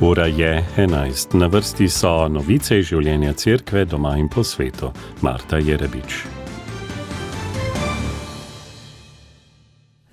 Ura je 11. Na vrsti so novice iz življenja cerkve doma in po svetu. Marta Jerebič.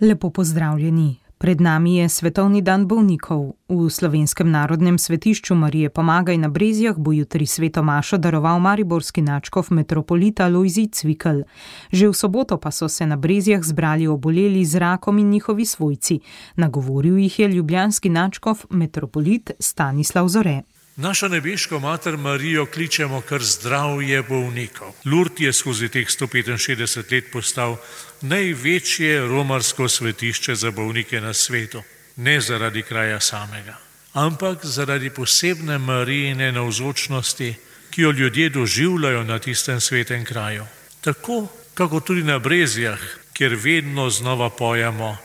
Lepo pozdravljeni. Pred nami je Svetovni dan bolnikov. V Slovenskem narodnem svetišču Marije Pomagaj na Brezjah bo jutri sveto mašo daroval mariborski nadškof metropolita Lojzij Cvikl. Že v soboto pa so se na Brezjah zbrali oboleli z rakom in njihovi svojci. Nagovoril jih je ljubljanski nadškof metropolit Stanislav Zore. Našo nebeško mater Marijo kličemo kar zdravje bolnikov. Lurd je skozi teh 165 let postal največje romarsko svetišče za bolnike na svetu. Ne zaradi kraja samega, ampak zaradi posebne Marijine navzočnosti, ki jo ljudje doživljajo na tistem svetem kraju. Tako, kako tudi na Brezjah, kjer vedno znova pojemo: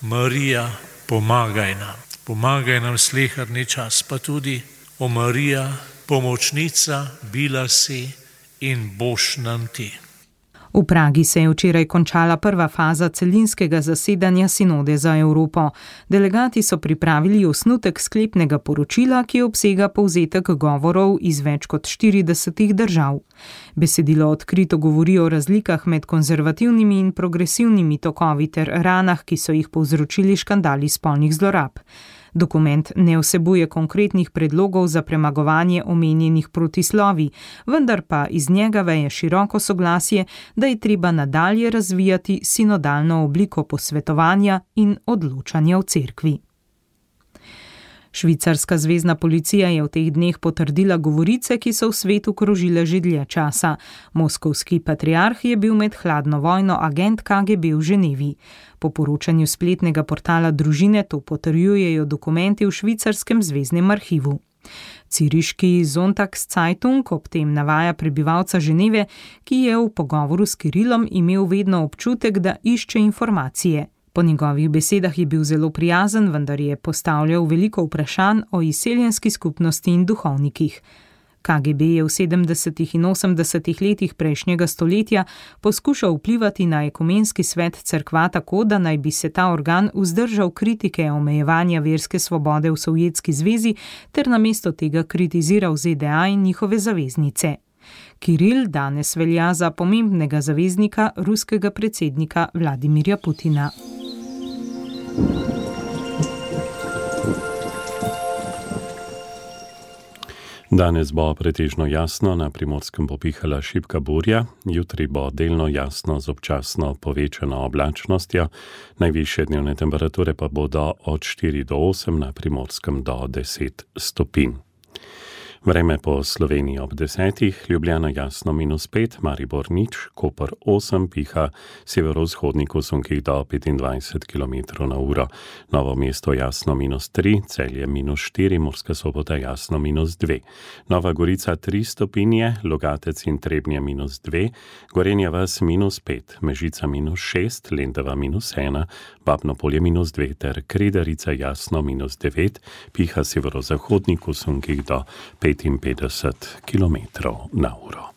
Marija, pomagaj nam. Pomagaj nam sleherni čas, pa tudi: O Marija, pomočnica, bila si in boš nam ti. V Pragi se je včeraj končala prva faza celinskega zasedanja Sinode za Evropo. Delegati so pripravili osnutek sklepnega poročila, ki obsega povzetek govorov iz več kot 40 držav. Besedilo odkrito govori o razlikah med konzervativnimi in progresivnimi tokovi ter ranah, ki so jih povzročili škandali spolnih zlorab. Dokument ne vsebuje konkretnih predlogov za premagovanje omenjenih protislovij, vendar pa iz njega veje široko soglasje, da je treba nadalje razvijati sinodalno obliko posvetovanja in odločanja v cerkvi. Švicarska zvezna policija je v teh dneh potrdila govorice, ki so v svetu krožile že dlje časa. Moskovski patriarh je bil med hladno vojno agent KGB v Ženevi. Po poročanju spletnega portala Družine to potrjujejo dokumenti v švicarskem zveznem arhivu. Ciriški Sonntagszeitung ob tem navaja prebivalca Ženeve, ki je v pogovoru s Kirilom imel vedno občutek, da išče informacije. Po njegovih besedah je bil zelo prijazen, vendar je postavljal veliko vprašanj o izseljenski skupnosti in duhovnikih. KGB je v 70. in 80. letih prejšnjega stoletja poskušal vplivati na ekumenski svet cerkva tako, da naj bi se ta organ vzdržal kritike omejevanja verske svobode v Sovjetski zvezi ter namesto tega kritiziral ZDA in njihove zaveznice. Kiril danes velja za pomembnega zaveznika ruskega predsednika Vladimirja Putina. Danes bo pretežno jasno, na Primorskem bo pihala šibka burja, jutri bo delno jasno z občasno povečano oblačnostjo, najvišje dnevne temperature pa bodo od 4 do 8, na Primorskem do 10 stopinj. Vreme po Sloveniji ob 10, Ljubljana jasno -5, Maribor 0, Koper 8, piha severovzhodnik v sunkih do 25 km/h, Novo mesto jasno -3, Celje -4, Murska Sobota jasno -2, Nova Gorica 3 stopinje, Logatec in Trebnje -2, Gorenja vas -5, Mežica -6, Lendava -1, Babno Polje -2 ter Kredarica jasno -9, piha severozahodnik v sunkih do 55 km/h.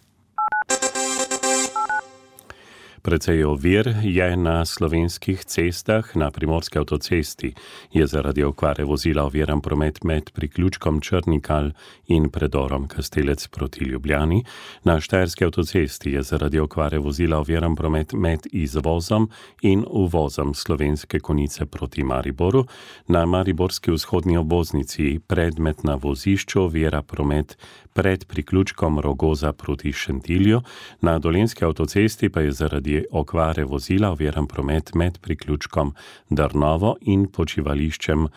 Precej ovir je na slovenskih cestah. Na primorski avtocesti je zaradi okvare vozila oviran promet med priključkom Črnikal in predorom Kastelec proti Ljubljani. Na štajerski avtocesti je zaradi okvare vozila oviran promet med izvozom in uvozom Slovenske Konjice proti Mariboru. Na mariborski vzhodni obvoznici predmetna vozišču ovira promet pred priključkom Rogoza proti Šentilju. Na dolenjski avtocesti pa je zaradi okvare vozila oviran promet med priključkom Drnovo in počivališčem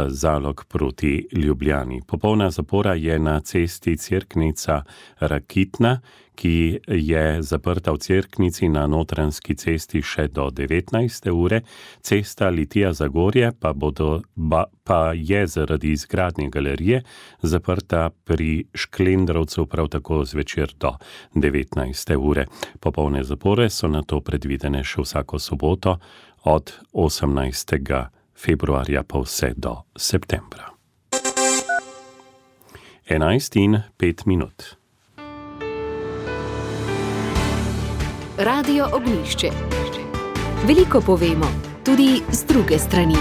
Zalog proti Ljubljani. Popolna zapora je na cesti Cerknica-Rakitna, ki je zaprta v Cerknici na Notranjski cesti še do 19. ure. Cesta Litija-Zagorje pa je zaradi izgradnje galerije zaprta pri Šklendrovcu prav tako zvečer do 19. ure. Popolne zapore so nato predvidene še vsako soboto od 18. februarja pa vse do septembra. 11:05. Radio Ognjišče. Veliko povemo, tudi z druge strani.